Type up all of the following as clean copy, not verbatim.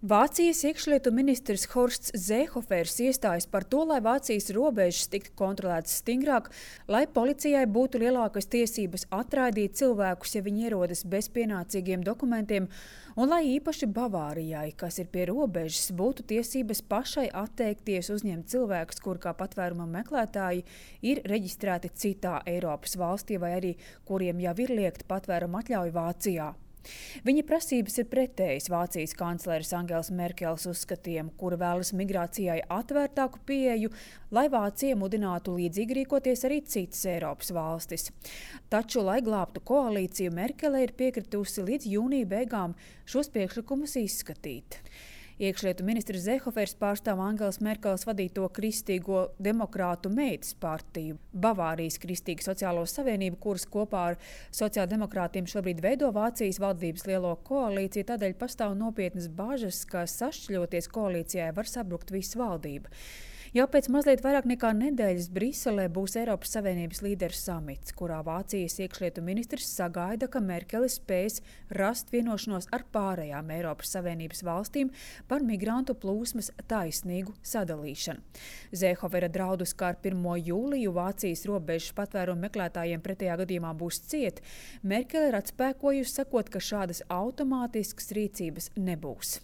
Vācijas iekšlietu ministrs Horsts Seehofers iestājas par to, lai Vācijas robežas tiktu kontrolētas stingrāk, lai policijai būtu lielākas tiesības atraidīt cilvēkus, ja viņi ierodas bez pienācīgiem dokumentiem, un lai īpaši Bavārijai, kas ir pie robežas, būtu tiesības pašai atteikties uzņemt cilvēkus, kur kā patvēruma meklētāji ir reģistrēti citā Eiropas valstī vai arī kuriem jau ir liegta patvēruma atļauja Vācijā. Viņa prasības ir pretējas Vācijas kancleres Angēlas Merkeles uzskatiem, kura vēlas migrācijai atvērtāku pieeju, lai Vācija mudinātu līdzīgi rīkoties arī citas Eiropas valstis. Taču, lai glābtu koalīciju, Merkele ir piekritusi līdz jūnija beigām šos priekšlikumus izskatīt. Iekšlietu ministrs Seehofers pārstāv Angēlas Merkeles vadīto Kristīgo demokrātu meitas partiju, Bavārijas Kristīga sociālo savienību, kuras kopā ar sociāldemokrātiem šobrīd veido Vācijas valdības lielo koalīciju, tādēļ pastāv nopietnas bažas, ka sašķļoties koalīcijai var sabrukt visa valdība. Jau pēc mazliet vairāk nekā nedēļas Briselē būs Eiropas Savienības līderu samits, kurā Vācijas iekšlietu ministrs sagaida, ka Merkele spēs rast vienošanos ar pārējām Eiropas Savienības valstīm par migrantu plūsmas taisnīgu sadalīšanu. Seehofera draudus, kā ar 1. jūliju Vācijas robežas patvērumu meklētājiem pretējā gadījumā būs ciet, Merkele ir atspēkojusi, sakot, ka šādas automātiskas rīcības nebūs.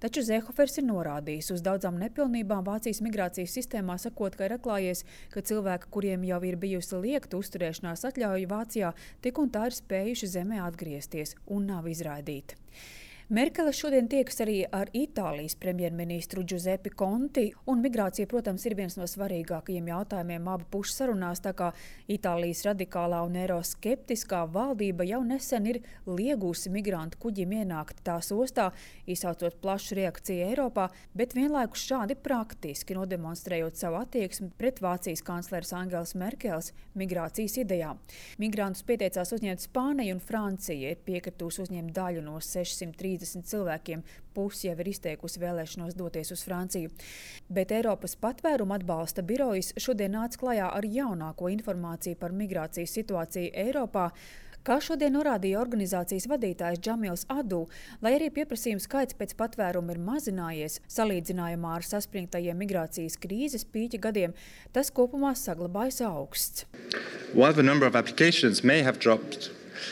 Taču Seehofers ir norādījis uz daudzām nepilnībām Vācijas migrācijas sistēmā, sakot, ka ir atklājies, ka cilvēki, kuriem jau ir bijusi liegta uzturēšanās atļauja Vācijā, tik un tā ir spējuši zemē atgriezties un nav izraidīti. Merkele šodien tiekas arī ar Itālijas premjerministru Giuseppe Conti, un migrācija, protams, ir viens no svarīgākajiem jautājumiem abu pušu sarunās, tā kā Itālijas radikālā un eiroskeptiskā valdība jau nesen ir liegusi migrantu kuģim ienākt tās ostā, izsaucot plašu reakciju Eiropā, bet vienlaikus šādi praktiski nodemonstrējot savu attieksmi pret Vācijas kancleres Angēlas Merkeles migrācijas idejām. Migrantus pieteicās uzņemt Spānija un Francija, ir piekritusi uzņemt daļu no 630 cilvēkiem, pusi jau ir izteikusi vēlēšanos doties uz Franciju. Bet Eiropas patvērumu atbalsta birojas šodien nāca klajā ar jaunāko informāciju par migrācijas situāciju Eiropā, kā šodien norādīja organizācijas vadītājs Džamils Adu, lai arī pieprasījuma skaits pēc patvērumu ir mazinājies, salīdzinājumā ar saspringtajiem migrācijas krīzes pīķa gadiem, tas kopumā saglabājas augsts. While the number of applications may have dropped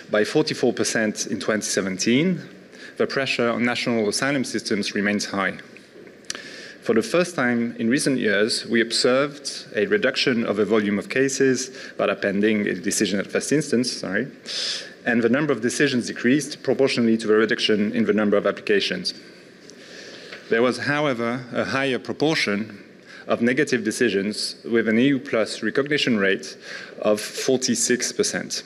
by 44% in 2017, the pressure on national asylum systems remains high. For the first time in recent years, we observed a reduction of the volume of cases that are pending a decision at first instance, and the number of decisions decreased proportionally to the reduction in the number of applications. There was, however, a higher proportion of negative decisions with an EU plus recognition rate of 46%.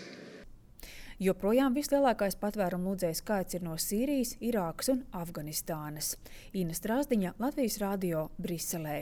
Joprojām vislielākais patvērumu lūdzēju skaits ir no Sīrijas, Irākas un Afganistānas. Ina Strāzdiņa, Latvijas radio, Briselē.